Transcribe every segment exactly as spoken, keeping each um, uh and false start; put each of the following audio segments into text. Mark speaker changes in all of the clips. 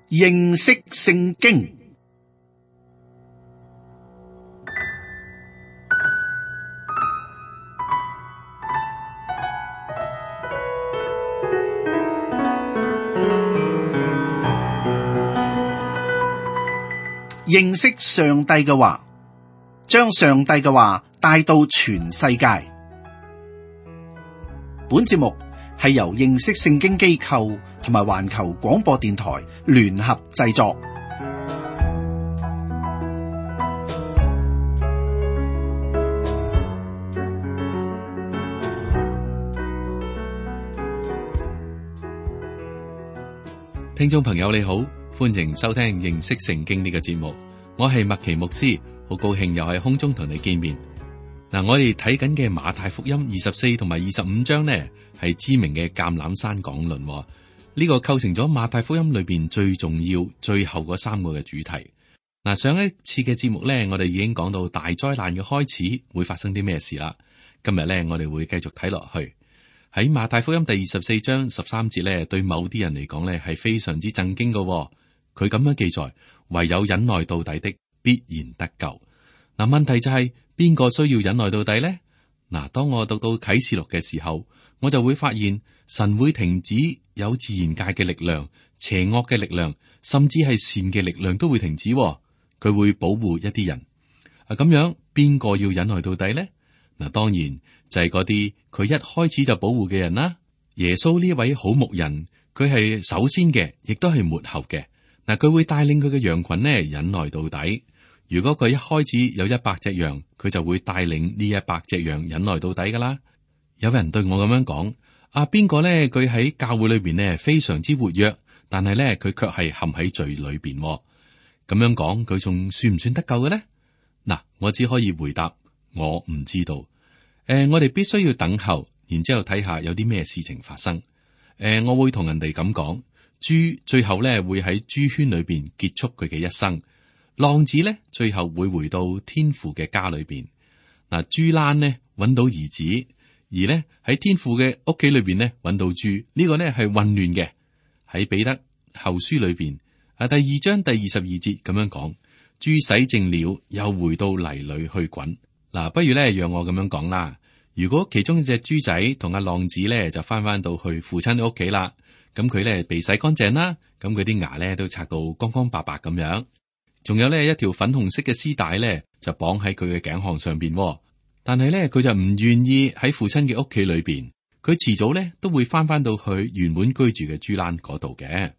Speaker 1: 認識聖經。認識上帝嘅話，將上帝嘅話帶到全世界。本節目係由認識聖經機構同埋環球廣播電台聯合製作。
Speaker 2: 聽眾朋友你好，歡迎收聽認識聖經呢個節目，我係麥奇牧師，好高興又喺空中同你見面。嗱，我哋睇緊嘅馬太福音二十四同埋二十五章呢，係知名嘅橄欖山講論，呢、這個構成咗馬太福音裏邊最重要、最後嗰三個嘅主題。嗱，上一次嘅節目呢，我哋已經講到大災難嘅開始會發生啲咩事啦。今日呢，我哋會繼續睇落去。喺馬太福音第二十四章十三節呢，對某啲人嚟講呢，係非常之震驚嘅。佢咁樣記載：唯有忍耐到底的，必然得救。嗱，問題就係邊個需要忍耐到底呢？嗱，當我讀到啟示錄嘅時候，我就會發現神會停止有自然界嘅力量、邪惡嘅力量，甚至係善嘅力量都會停止。佢會保護一啲人。啊，咁樣邊個要忍耐到底呢？嗱，當然就係嗰啲佢一開始就保護嘅人啦。耶穌呢位好牧人，佢係首先嘅，亦都係末後嘅。嗱，佢會帶領佢嘅羊群呢忍耐到底。如果佢一開始有一百隻羊，佢就會帶領呢一百隻羊忍耐到底噶啦。有人對我咁樣講：啊，邊個呢？佢喺教會裏邊呢非常之活躍，但係呢，佢卻係陷喺罪裏邊。咁樣講，佢仲算唔算得救嘅呢？嗱，我只可以回答我唔知道。誒、呃，我哋必須要等候，然之後睇下有啲咩事情發生。誒、呃，我會同人哋咁講：豬最後呢會喺豬圈裏邊結束佢嘅一生。浪子咧，最後會回到天父嘅家裏邊。嗱，豬欄呢揾到兒子，而呢喺天父嘅屋企裏邊呢揾到豬，呢、這個呢係混亂嘅。喺彼得後書裏邊啊，第二章第二十二節咁樣講：豬洗淨了，又回到泥裏去滾。嗱，不如咧讓我咁樣講啦。如果其中一隻豬仔同阿浪子咧就翻翻到去父親屋企啦，咁佢咧被洗乾淨啦，咁佢啲牙咧都刷到光光白白咁樣。仲有呢一條粉紅色嘅絲帶咧，就綁喺佢嘅頸項上邊。但係咧，佢就唔願意喺父親嘅屋企裏邊。佢遲早咧都會翻翻到去原本居住嘅豬欄嗰度嘅。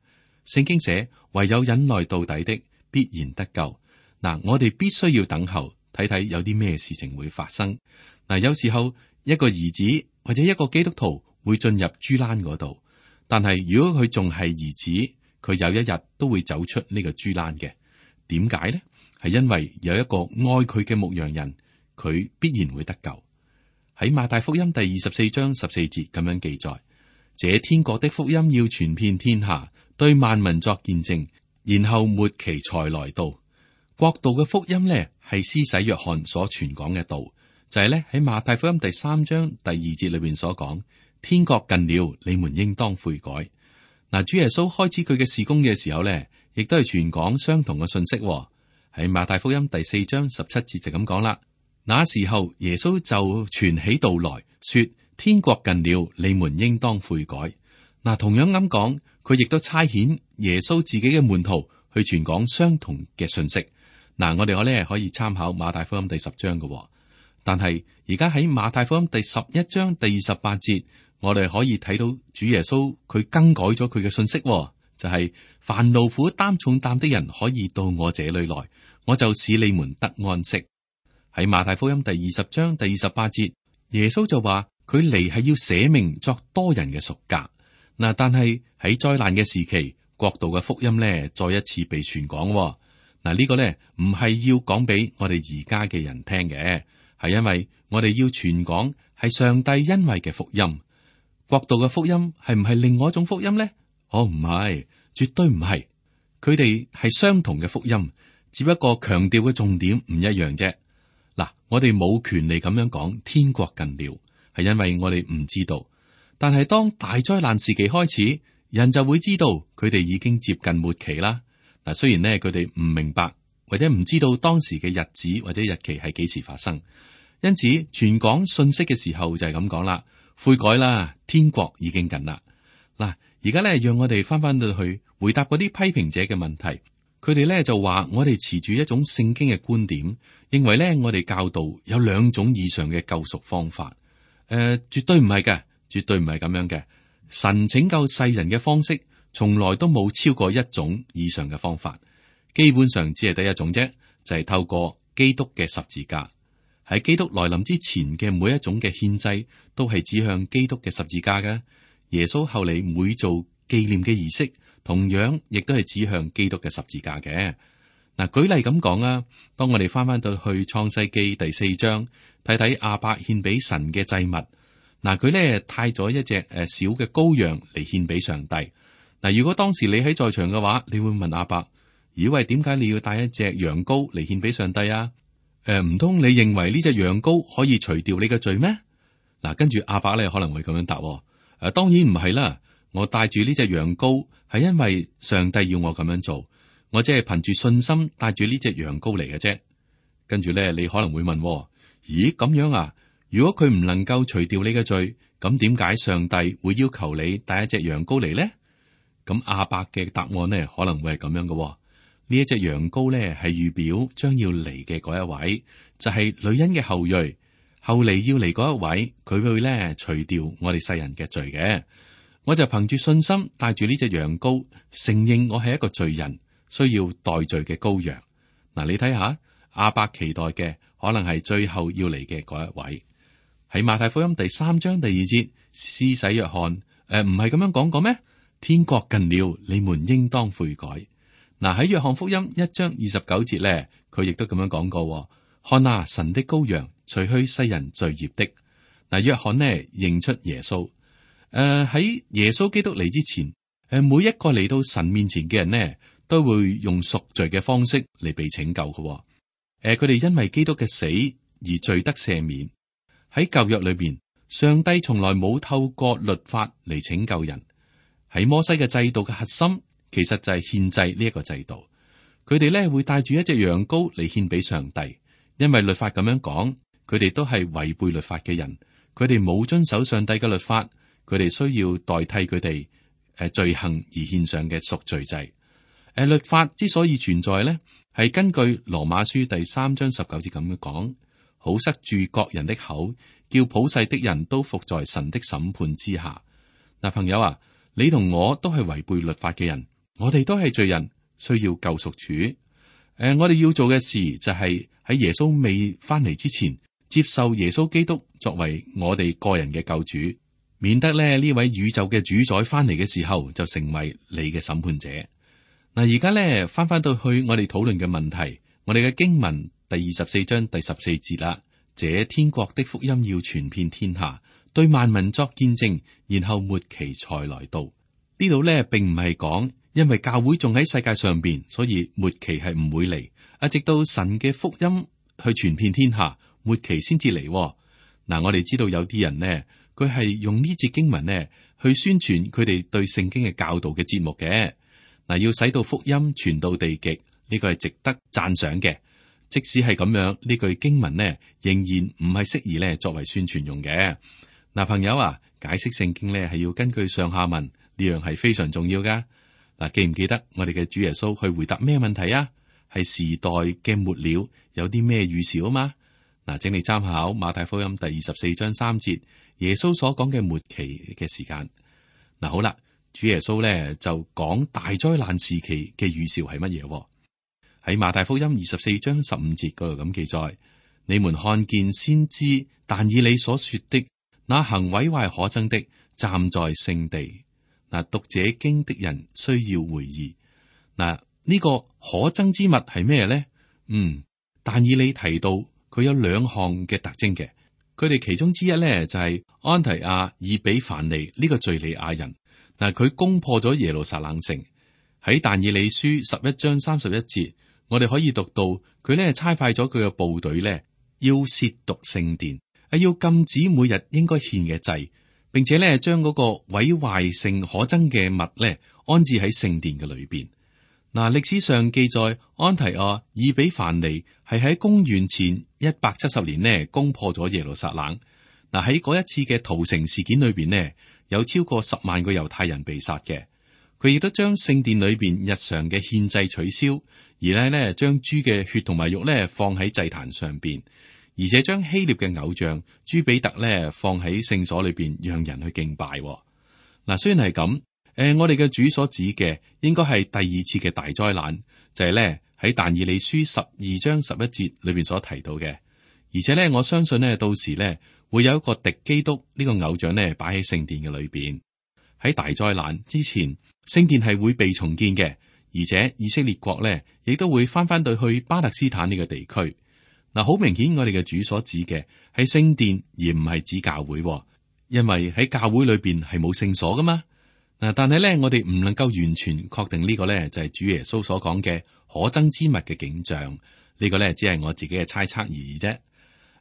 Speaker 2: 聖經寫：唯有忍耐到底的，必然得救。嗱，我哋必須要等候，睇睇有啲咩事情會發生。嗱，有時候一個兒子或者一個基督徒會進入豬欄嗰度，但係如果佢仲係兒子，佢有一日都會走出呢個豬欄嘅。點解呢？係因為有一個愛佢嘅牧羊人，佢必然會得救。喺馬太福音第二十四章十四節咁樣記載：這天國的福音要傳遍天下，對萬民作見證，然後末期才來到。國度嘅福音呢，係施洗約翰所傳講嘅道，就係咧喺馬太福音第三章第二節裏邊所講：天國近了，你們應當悔改。嗱，主耶穌開始佢嘅事工嘅時候呢，亦都係傳講相同嘅信息。喺馬太福音第四章十七節就咁講啦。那時候耶穌就傳起道來說：天國近了，你們應當悔改。嗱，同樣咁講，佢亦都差遣耶穌自己嘅門徒去傳講相同嘅信息。嗱，我哋可咧可以參考馬太福音第十章嘅，但係而家喺馬太福音第十一章第二十八節，我哋可以睇到主耶穌佢更改咗佢嘅信息。就係凡勞苦擔重擔的人可以到我這裏來，我就使你們得安息。喺馬太福音第二十章第二十八節，耶穌就話佢嚟係要捨命作多人嘅贖價。嗱，但係喺災難嘅時期，國度嘅福音咧再一次被傳講。嗱，呢個咧唔係要講俾我哋而家嘅人聽嘅，係因為我哋要傳講係上帝恩惠嘅福音。國度嘅福音係唔係另外一種福音咧？哦，唔係，絕對唔係。佢哋係相同嘅福音，只不過強調嘅重點唔一樣啫。嗱，我哋冇權利咁樣講天國近了，係因為我哋唔知道。但係當大災難時期開始，人就會知道佢哋已經接近末期啦。嗱，雖然呢，佢哋唔明白或者唔知道當時嘅日子或者日期係幾時發生，因此傳講信息嘅時候就係咁講啦，悔改啦，天國已經近啦。嗱，而家咧讓我哋翻翻到去回答嗰啲批評者嘅問題，佢哋咧就話我哋持住一種聖經嘅觀點，認為咧我哋教導有兩種以上嘅救贖方法。誒、呃，絕對唔係嘅，絕對唔係咁樣嘅。神拯救世人嘅方式，從來都冇超過一種以上嘅方法，基本上只係得一種啫，就係、是、透過基督嘅十字架。喺基督來臨之前嘅每一種嘅獻祭，都係指向基督嘅十字架嘅。耶穌後嚟每做紀念嘅儀式，同樣亦都係指向基督嘅十字架嘅。嗱，舉例咁講啊，當我哋翻翻到去創世記第四章，睇睇亞伯獻俾神嘅祭物。嗱，佢咧帶咗一隻誒小嘅羔羊嚟獻俾上帝。嗱，如果當時你喺在場嘅話，你會問亞伯：咦喂，點解你要帶一隻羊羔嚟獻俾上帝啊？誒，唔通你認為呢隻羊羔可以除掉你嘅罪咩？嗱，跟住亞伯咧可能會咁樣答：誒、啊，當然唔係啦，我帶住呢隻羊羔係因為上帝要我咁樣做，我只係憑住信心帶住呢隻羊羔嚟嘅啫。跟住咧，你可能會問：咦，咁樣啊？如果佢唔能夠除掉你嘅罪，咁點解上帝會要求你帶一隻羊羔嚟呢？咁亞伯嘅答案呢，可能會係咁樣嘅。呢一隻羊羔呢，係預表將要嚟嘅嗰一位，就係女人嘅後裔。後嚟要嚟嗰一位，佢會咧除掉我哋世人嘅罪嘅。我就憑住信心帶住呢隻羊羔，承認我係一個罪人，需要代罪嘅羔羊。嗱，你睇下亞伯期待嘅可能係最後要嚟嘅嗰一位。喺馬太福音第三章第二節，施洗約翰誒唔係咁樣講過咩？天國近了，你們應當悔改。嗱，喺約翰福音一章二十九節咧，佢亦都咁樣講過。看啊，神的羔羊，除去世人罪孽的。嗱，約翰呢認出耶穌。誒喺耶穌基督嚟之前，誒每一個嚟到神面前嘅人呢，都會用贖罪嘅方式嚟被拯救嘅。誒，佢哋因為基督嘅死而罪得赦免。喺舊約裏邊，上帝從來冇透過律法嚟拯救人。喺摩西嘅制度嘅核心，其實就係獻祭呢一個制度。佢哋咧會帶住一隻羊羔嚟獻俾上帝，因為律法咁樣講，佢哋都係違背律法嘅人，佢哋冇遵守上帝嘅律法，佢哋需要代替佢哋誒罪行而獻上嘅贖罪祭。誒，律法之所以存在咧，係根據羅馬書第三章十九節咁樣講。好塞住各人的口，叫普世的人都服在神的審判之下。嗱，朋友啊，你同我都係違背律法嘅人，我哋都係罪人，需要救贖主。誒、呃，我哋要做嘅事就係喺耶穌未翻嚟之前，接受耶穌基督作為我哋個人嘅救主，免得咧呢位宇宙嘅主宰翻嚟嘅時候就成為你嘅審判者。嗱，而家咧翻翻到去我哋討論嘅問題，我哋嘅經文。第二十四章第十四節啦，這天國的福音要傳遍天下，對萬民作見證，然後末期才來到。呢度咧並唔係講，因為教會仲喺世界上邊，所以末期係唔會嚟。啊，直到神嘅福音去傳遍天下，末期先至嚟。嗱，我哋知道有啲人呢，佢係用呢節經文呢去宣傳佢哋對聖經嘅教導嘅節目嘅。嗱，要使到福音傳到地極，呢個係值得讚賞嘅。即使係咁樣，呢句經文呢，仍然唔係適宜咧作為宣傳用嘅。嗱，朋友啊，解釋聖經咧係要根據上下文，呢樣係非常重要噶。嗱，記唔記得我哋嘅主耶穌去回答咩問題啊？係時代嘅末了有啲咩預兆啊嘛？嗱，請你參考馬太福音第二十四章三節，耶穌所講嘅末期嘅時間。嗱，好啦，主耶穌咧就講大災難時期嘅預兆係乜嘢？喺馬太福音二十四章十五節嗰度咁記載，你們看見先知但以理所說的那行毀壞可憎的站在聖地。嗱，讀這經的人需要回憶。嗱，呢個可憎之物係咩咧？嗯，但以理提到佢有兩項嘅特徵嘅，佢哋其中之一咧就係安提亞以比凡尼呢個敘利亞人。嗱，佢攻破咗耶路撒冷城。喺但以理書十一章三十一節。我哋可以讀到佢咧差派咗佢嘅部隊咧，要褻瀆聖殿，啊，要禁止每日應該獻嘅祭，並且咧將嗰個毀壞性可憎嘅物咧安置喺聖殿嘅裏邊。嗱，歷史上記載安提阿以比凡尼係喺公元前一百七十年呢攻破咗耶路撒冷。嗱，喺嗰一次嘅屠城事件裏邊呢，有超過十萬個猶太人被殺嘅。佢亦都將聖殿裏邊日常嘅獻祭取消，而咧呢將豬嘅血同埋肉咧放喺祭壇上邊，而且將希臘嘅偶像朱比特咧放喺聖所裏邊，讓人去敬拜。嗱，雖然係咁。誒，我哋嘅主所指嘅應該係第二次嘅大災難，就係咧喺但以理書十二章十一節裏邊所提到嘅。而且咧，我相信咧到時咧會有一個敵基督呢個偶像咧擺喺聖殿嘅裏邊。喺大災難之前，聖殿係會被重建嘅，而且以色列國咧亦都會翻翻到去巴勒斯坦呢個地區。嗱，好明顯我哋嘅主所指嘅係聖殿，而唔係指教會，因為喺教會裏邊係冇聖所噶嘛。嗱，但係咧，我哋唔能夠完全確定呢個咧就係主耶穌所講嘅可憎之物嘅景象。呢個咧只係我自己嘅猜測而已啫。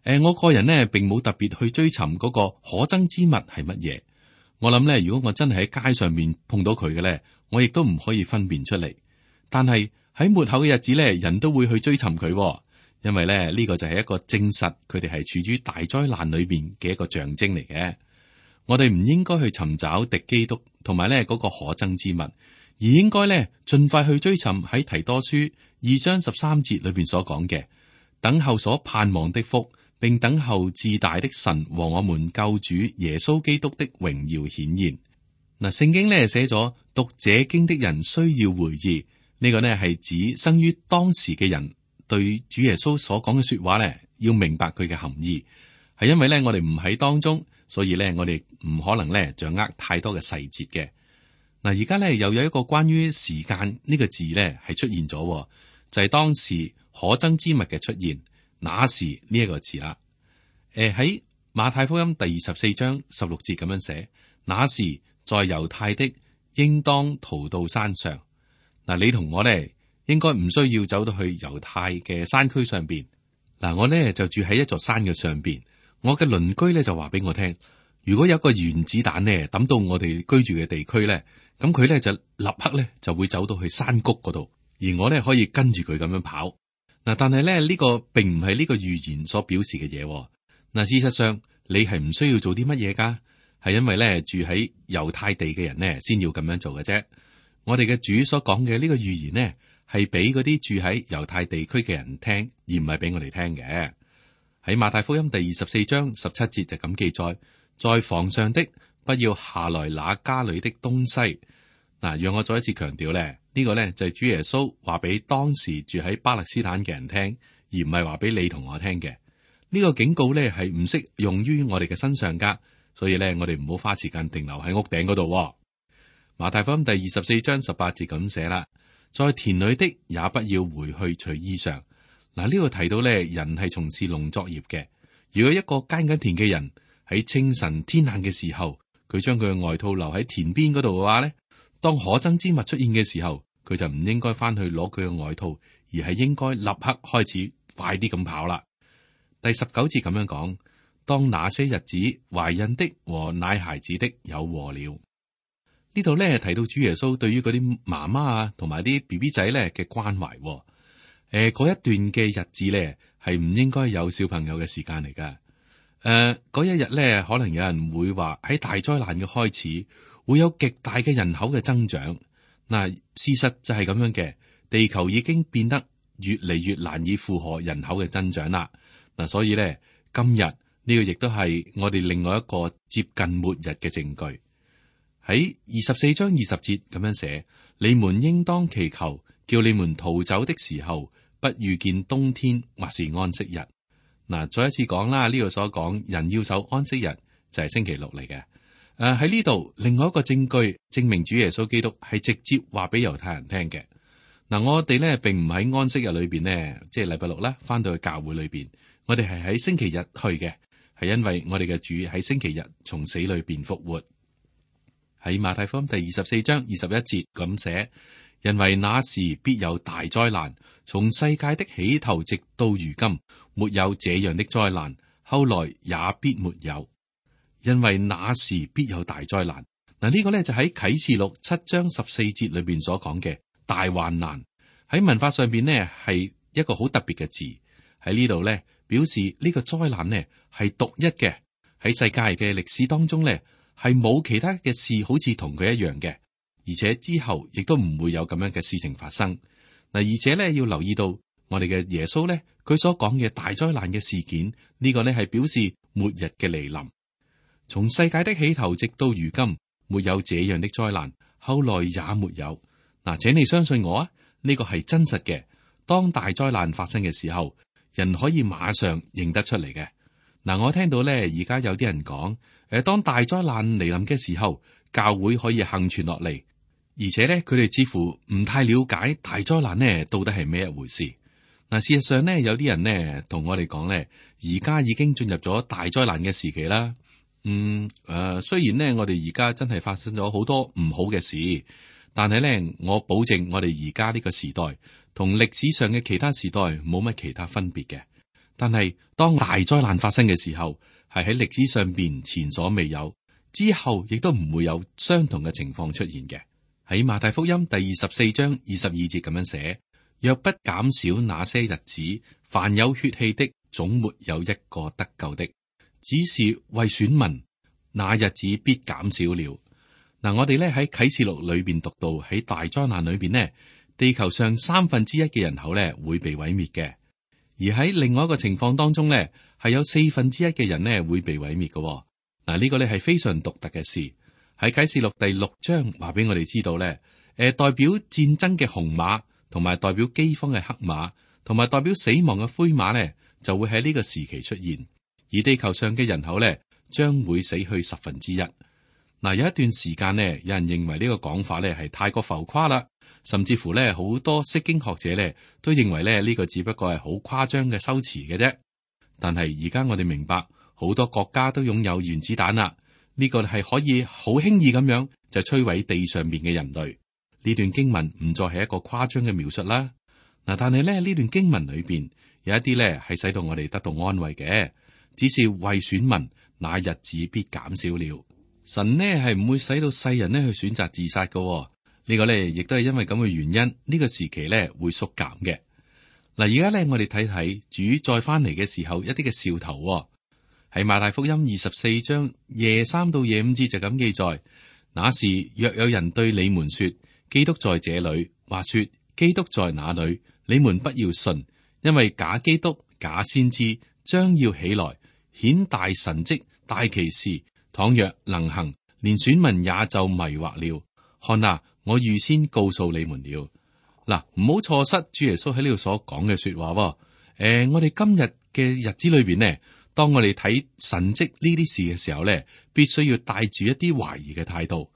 Speaker 2: 誒，我個人呢並冇特別去追尋嗰個可憎之物係乜嘢。我諗咧，如果我真係喺街上面碰到佢嘅咧，我亦都唔可以分辨出嚟。但係喺末後嘅日子咧，人都會去追尋佢，因為咧呢個就係一個證實佢哋係處於大災難裏邊嘅一個象徵嚟嘅。我哋唔應該去尋找敵基督同埋咧嗰個可憎之物，而應該咧盡快去追尋喺提多書二章十三節裏邊所講嘅，等候所盼望的福，並等候至大的神和我們救主耶穌基督的榮耀顯現。嗱，聖經咧寫咗讀這經的人需要回憶，呢個呢係指生於當時嘅人對主耶穌所講嘅說話咧，要明白佢嘅含義，係因為咧我哋唔喺當中。所以咧，我哋唔可能咧掌握太多嘅細節嘅。嗱，而家咧又有一個關於時間呢個字咧係出現咗，就係、是、當時可憎之物嘅出現，那時呢一個字啦。誒，喺馬太福音第二十四章十六節咁樣寫，那時在猶太的應當逃到山上。嗱，你同我咧應該唔需要走到去猶太嘅山區上邊。嗱，我咧就住喺一座山嘅上邊。我嘅鄰居咧就話俾我聽，如果有一個原子彈咧抌到我哋居住嘅地區咧，咁佢咧就立刻咧就會走到去山谷嗰度，而我咧可以跟住佢咁樣跑。嗱，但係咧呢個並唔係呢個預言所表示嘅嘢。嗱，事實上你係唔需要做啲乜嘢噶，係因為咧住喺猶太地嘅人咧先要咁樣做嘅啫。我哋嘅主所講嘅呢個預言呢，係俾嗰啲住喺猶太地區嘅人聽，而唔係俾我哋聽嘅。喺馬太福音第二十四章十七節就咁記載，在房上的不要下來拿家裏的東西。嗱，讓我再一次強調咧，呢個咧就係主耶穌話俾當時住喺巴勒斯坦嘅人聽，而唔係話俾你同我聽嘅。呢個警告咧係唔適用於我哋嘅身上噶，所以咧我哋唔好花時間停留喺屋頂嗰度。馬太福音第二十四章十八節咁寫啦，在田裏的也不要回去取衣裳。嗱，呢度提到咧，人係從事農作業嘅。如果一個耕緊田嘅人喺清晨天冷嘅時候，佢將佢嘅外套留喺田邊嗰度嘅話咧，當可憎之物出現嘅時候，佢就唔應該翻去攞佢嘅外套，而係應該立刻開始快啲咁跑啦。第十九節咁樣講，當那些日子，懷孕的和奶孩子的有禍了。呢度咧提到主耶穌對於嗰啲媽媽啊，同埋啲 B B 仔咧嘅關懷。誒，嗰、呃、一段嘅日子咧，係唔應該有小朋友嘅時間嚟噶。誒、呃，嗰一日咧，可能有人會話喺大災難嘅開始，會有極大嘅人口嘅增長。嗱、呃，事實就係咁樣嘅，地球已經變得越嚟越難以負荷人口嘅增長啦。嗱、呃，所以咧，今日呢、這個亦都係我哋另外一個接近末日嘅證據。喺二十四章二十節咁樣寫，你們應當祈求，叫你們逃走的時候，不遇見冬天或是安息日。嗱，再一次講啦，呢度所講人要守安息日就係星期六嚟嘅。誒，喺呢度另外一個證據證明主耶穌基督係直接話俾猶太人聽嘅。嗱，我哋咧並唔喺安息日裏邊呢，即係禮拜六啦，翻到去教會裏邊，我哋係喺星期日去嘅，係因為我哋嘅主喺星期日從死裏邊復活。喺馬太福音第二十四章二十一節咁寫。因為那時必有大災難，從世界的起頭直到如今，沒有這樣的災難，後來也必沒有。因為那時必有大災難。嗱，呢個咧就喺啟示錄七章十四節裏邊所講嘅大患難。喺文化上邊呢，係一個好特別嘅字，喺呢度咧表示呢個災難呢係獨一嘅，喺世界嘅歷史當中呢，係冇其他嘅事好似同佢一樣嘅，而且之後亦都唔會有咁樣嘅事情發生。嗱，而且咧要留意到我哋嘅耶穌咧，佢所講嘅大災難嘅事件，呢個呢係表示末日嘅來臨。從世界的起頭直到如今，沒有這樣的災難，後來也沒有。嗱，請你相信我啊，呢個係真實嘅。當大災難發生嘅時候，人可以馬上認得出嚟嘅。嗱，我聽到咧，而家有啲人講，誒，當大災難嚟臨嘅時候，教會可以幸存落嚟，而且咧，佢哋似乎唔太了解大災難呢到底係咩一回事。嗱，事實上呢，有啲人呢同我哋講咧，而家已經進入咗大災難嘅時期啦。嗯，誒、呃，雖然呢，我哋而家真係發生咗好多唔好嘅事，但係咧，我保證我哋而家呢個時代同歷史上嘅其他時代冇乜其他分別嘅。但係當大災難發生嘅時候，係喺歷史上邊前所未有，之後亦都唔會有相同嘅情況出現嘅。喺馬太福音第二十四章二十二節咁樣寫：若不減少那些日子，凡有血氣的總沒有一個得救的。只是為選民，那日子必減少了。嗱，我哋咧喺啟示錄裏邊讀到，喺大災難裏邊呢，地球上三分之一嘅人口咧會被毀滅嘅，而喺另外一個情況當中咧，係有四分之一嘅人呢會被毀滅嘅。嗱，呢個咧係非常獨特嘅事。喺啟示錄第六章話俾我哋知道咧，誒，代表戰爭嘅紅馬，同埋代表饑荒嘅黑馬，同埋代表死亡嘅灰馬咧，就會喺呢個時期出現。而地球上嘅人口咧，將會死去十分之一。嗱，有一段時間呢，有人認為呢個講法咧係太過浮誇啦，甚至乎咧好多釋經學者咧都認為咧呢個只不過係好誇張嘅修辭嘅啫。但係而家我哋明白，好多國家都擁有原子彈啦，呢個係可以好輕易咁樣就摧毀地上面嘅人類。呢段經文唔再係一個誇張嘅描述啦。嗱，但係咧呢段經文裏邊有一啲咧係使到我哋得到安慰嘅。只是為選民，那日子必減少了。神呢係唔會使到世人呢去選擇自殺嘅、哦。呢、這個呢亦都係因為咁嘅原因，呢、這個時期呢會縮減嘅。嗱，而家呢，我哋睇睇主再翻嚟嘅時候一啲嘅兆頭、哦。喺馬太福音二十四章廿三到廿五節就咁記載：那時若有人對你們說基督在這裏，或說基督在那裏，你們不要信，因為假基督、假先知將要起來。顯大神蹟、大奇事，倘若能行，連選民也就迷惑了。看啊，我預先告訴你們了。嗱，唔好錯失主耶穌喺呢度所講嘅說話。誒、呃，我哋今日嘅日子裏邊呢，當我哋睇神蹟呢啲事嘅時候咧，必須要帶住一啲懷疑嘅態度，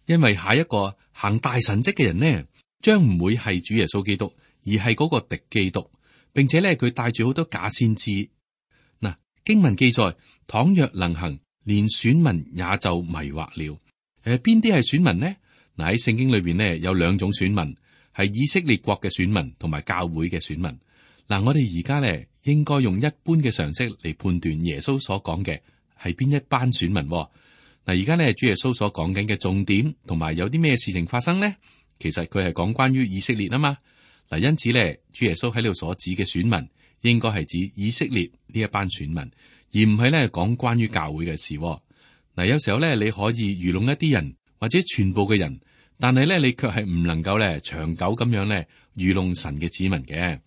Speaker 2: 因為下一個行大神蹟嘅人呢，將唔會係主耶穌基督，而係嗰個敵基督，並且咧佢帶住好多假先知。經文記載，倘若能行，連選民也就迷惑了。誒，邊啲係選民呢？嗱，喺聖經裏邊呢，有兩種選民，係以色列國嘅選民同埋教會嘅選民。嗱，我哋而家咧應該用一般嘅常識嚟判斷耶穌所講嘅係邊一班選民。嗱，而家咧主耶穌所講緊嘅重點同埋有啲咩事情發生呢？其實佢係講關於以色列啊嘛。嗱，因此咧主耶穌喺呢度所指嘅選民，應該係指以色列呢一班選民，而唔係咧講關於教會嘅事。嗱，有時候咧你可以愚弄一啲人或者全部嘅人，但係咧你卻係唔能夠咧長久咁樣咧愚弄神嘅子民嘅。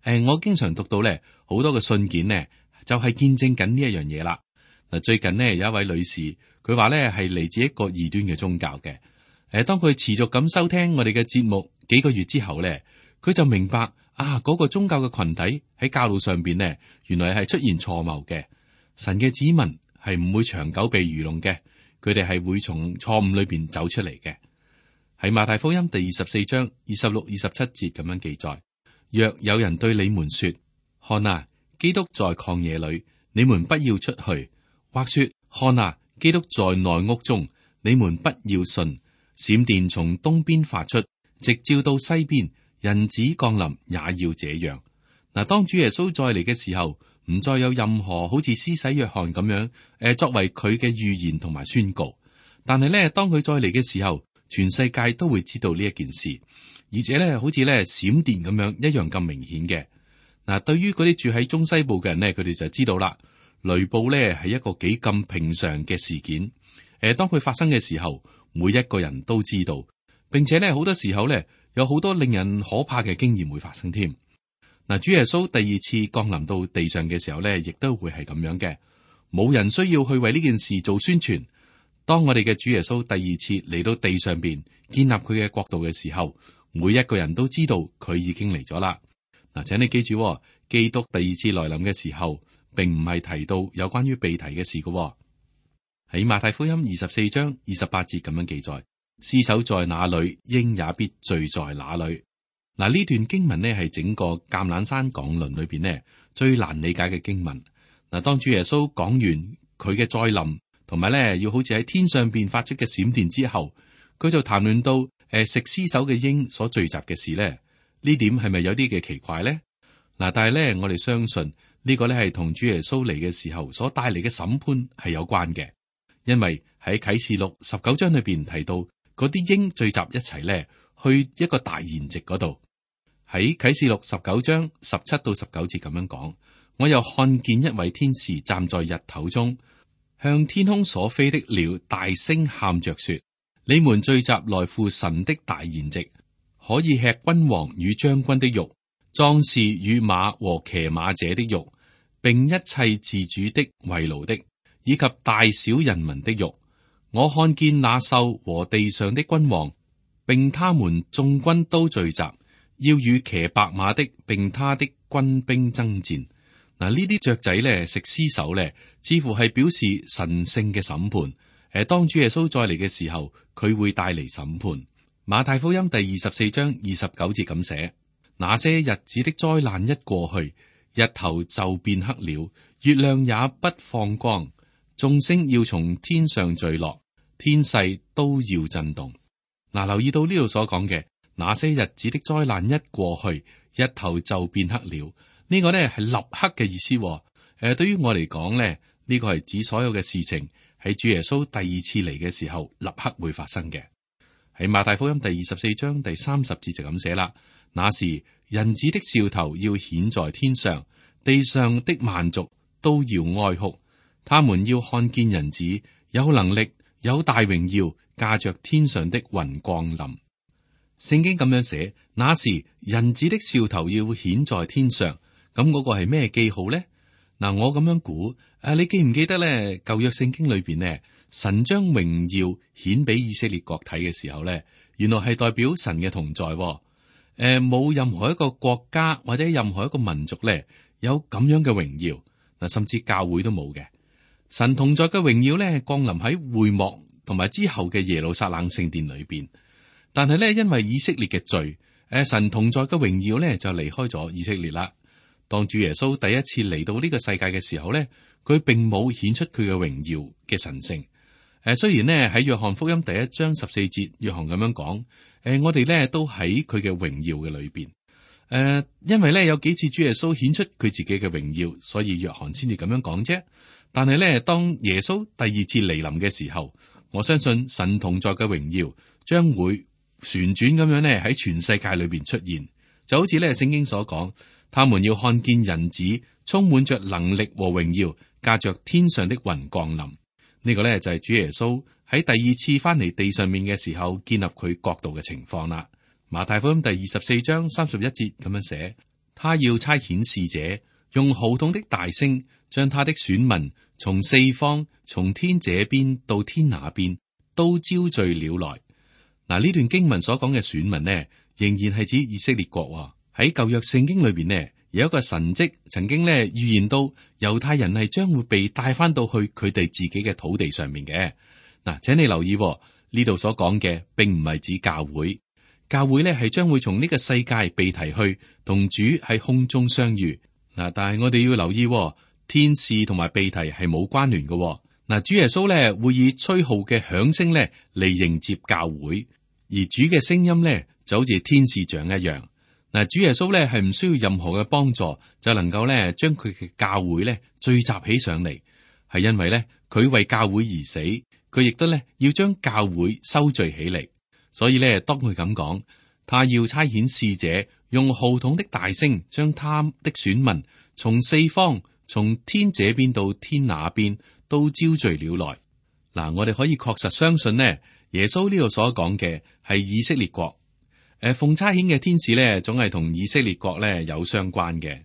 Speaker 2: 誒，我經常讀到咧好多嘅信件呢，就係見證緊呢一樣嘢啦。嗱，最近呢，有一位女士，佢話咧係嚟自一個異端嘅宗教嘅。誒，當佢持續咁收聽我哋嘅節目幾個月之後咧，佢就明白。啊！嗰、那個宗教嘅群體喺教路上邊呢，原來係出現錯謬嘅。神嘅子民係唔會長久被愚弄嘅，佢哋係會從錯誤裏邊走出嚟嘅。喺馬太福音第二十四章二十六、二十七節咁樣記載：若有人對你們說，看啊，基督在曠野裏，你們不要出去；或說，看啊，基督在內屋中，你們不要信。閃電從東邊發出，直照到西邊。人子降臨也要這樣。嗱，當主耶穌再嚟嘅時候，唔再有任何好似施洗約翰咁樣，誒，作為佢嘅預言同埋宣告。但係咧，當佢再嚟嘅時候，全世界都會知道呢一件事，而且咧，好似咧閃電咁樣一樣咁明顯嘅。嗱，對於嗰啲住喺中西部嘅人咧，佢哋就知道啦，雷暴咧係一個幾咁平常嘅事件。誒，當佢發生嘅時候，每一個人都知道，並且咧好多時候咧有好多令人可怕嘅經驗會發生添。嗱，主耶穌第二次降臨到地上嘅時候咧，亦都會係咁樣嘅，冇人需要去為呢件事做宣傳。當我哋嘅主耶穌第二次嚟到地上邊建立佢嘅國度嘅時候，每一個人都知道佢已經嚟咗啦。嗱，請你記住，基督第二次來臨嘅時候，並唔係提到有關於被提嘅事嘅。喺馬太福音二十四章二十八節咁樣記載：屍首在哪裏，鷹也必聚在哪裏。嗱，呢段經文呢係整個橄欖山講論裏邊呢最難理解嘅經文。嗱，當主耶穌講完佢嘅再臨，同埋咧要好似喺天上邊發出嘅閃電之後，佢就談論到誒、呃、食屍首嘅鷹所聚集嘅事咧。呢點係咪有啲嘅奇怪咧？嗱，但係咧我哋相信呢個咧係同主耶穌嚟嘅時候所帶嚟嘅審判係有關嘅。因為喺啟示錄十九章裏邊提到嗰啲鷹聚集一齊咧，去一個大筵席嗰度。喺啟示錄十九章十七到十九節咁樣講，我又看見一位天使站在日頭中，向天空所飛的鳥大聲喊着說：你們聚集來赴神的大筵席，可以吃君王與將軍的肉，壯士與馬和騎馬者的肉，並一切自主的、為奴的，以及大小人民的肉。我看見那獸和地上的君王，並他們眾軍都聚集，要與騎白馬的並他的軍兵爭戰。嗱，呢啲雀仔咧食屍首咧，似乎係表示神聖嘅審判。誒，當主耶穌再嚟嘅時候，佢會帶嚟審判。馬太福音第二十四章二十九節咁寫：那些日子的災難一過去，日頭就變黑了，月亮也不放光。眾星要從天上墜落，天勢都要震動。嗱，留意到呢度所講嘅那些日子的災難一過去，日頭就變黑了。呢個呢係立刻嘅意思。誒，對於我嚟講呢，呢個係指所有嘅事情喺主耶穌第二次嚟嘅時候立刻會發生嘅。喺馬太福音第二十四章第三十節就咁寫啦：那時人子的兆頭要顯在天上，地上的萬族都要哀哭。他們要看見人子有能力、有大榮耀，駕着天上的雲降臨。聖經咁樣寫：那時人子的兆頭要顯在天上，咁嗰個係咩記號呢？嗱，我咁樣估，誒，你記唔記得咧？舊約聖經裏邊呢，神將榮耀顯俾以色列國睇嘅時候咧，原來係代表神嘅同在。誒，冇任何一個國家或者任何一個民族咧有咁樣嘅榮耀，嗱，甚至教會都冇嘅。神同在嘅榮耀咧，降臨喺會幕同埋之後嘅耶路撒冷聖殿裏邊。但係咧，因為以色列嘅罪，誒，神同在嘅榮耀咧就離開咗以色列啦。當主耶穌第一次嚟到呢個世界嘅時候咧，佢並冇顯出佢嘅榮耀嘅神聖。誒，雖然呢，喺約翰福音第一章十四節，約翰咁樣講，誒，我哋咧都喺佢嘅榮耀嘅裏邊。誒，因為咧有幾次主耶穌顯出佢自己嘅榮耀，所以約翰先至咁樣講啫。但係咧，當耶穌第二次嚟臨嘅時候，我相信神同在嘅榮耀將會旋轉咁樣咧喺全世界裏邊出現，就好似咧聖經所講，他們要看見人子充滿着能力和榮耀，駕着天上的雲降臨。呢個咧就係主耶穌喺第二次翻嚟地上面嘅時候建立佢國度嘅情況啦。馬太福音第二十四章三十一節咁樣寫：他要差遣使者，用號筒的大聲，將他的選民從四方、從天這邊到天那邊都招聚了來。嗱，呢段經文所講嘅選民呢，仍然係指以色列國。喺舊約聖經裏邊呢，有一個神蹟曾經呢預言到猶太人係將會被帶翻到去佢哋自己嘅土地上面嘅。嗱，請你留意呢度所講嘅，並唔係指教會，教會呢係將會從呢個世界被提去，同主喺空中相遇。嗱，但係我哋要留意，天使同埋被提係冇關聯嘅。嗱，主耶穌呢會以吹號嘅響聲呢嚟迎接教會，而主嘅聲音呢就好似天使長一樣。嗱，主耶穌咧係唔需要任何嘅幫助，就能夠咧將佢嘅教會咧聚集起上嚟，係因為咧佢為教會而死，佢亦都咧要將教會收聚起嚟。所以咧，當佢咁講，他要差遣使者，用號筒的大聲，將他的選民從四方，從天這邊到天那邊，都招聚了來。嗱，我哋可以確實相信呢，耶穌呢度所講嘅係以色列國。誒，奉差遣嘅天使咧，總係同以色列國咧有相關嘅。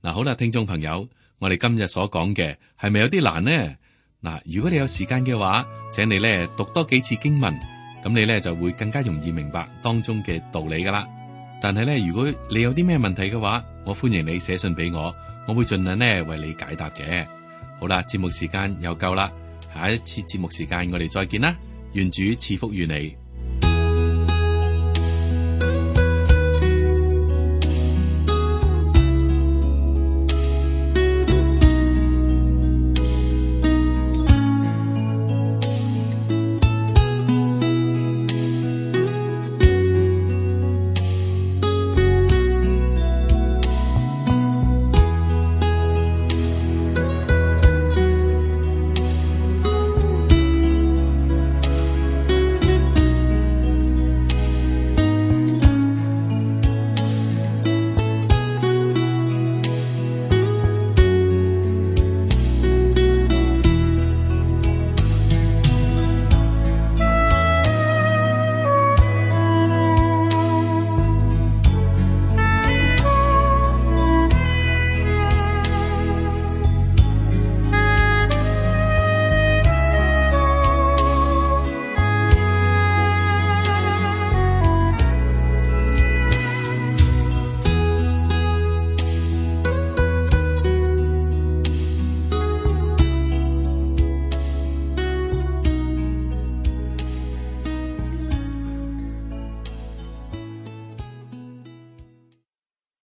Speaker 2: 嗱，好啦，聽眾朋友，我哋今日所講嘅係咪有啲難呢？嗱，如果你有時間嘅話，請你咧讀多幾次經文，咁你咧就會更加容易明白當中嘅道理噶啦。但係咧，如果你有啲咩問題嘅話，我歡迎你寫信俾我，我會盡量咧為你解答嘅。好啦，節目時間又夠啦，下一次節目時間我哋再見啦，願主賜福於你。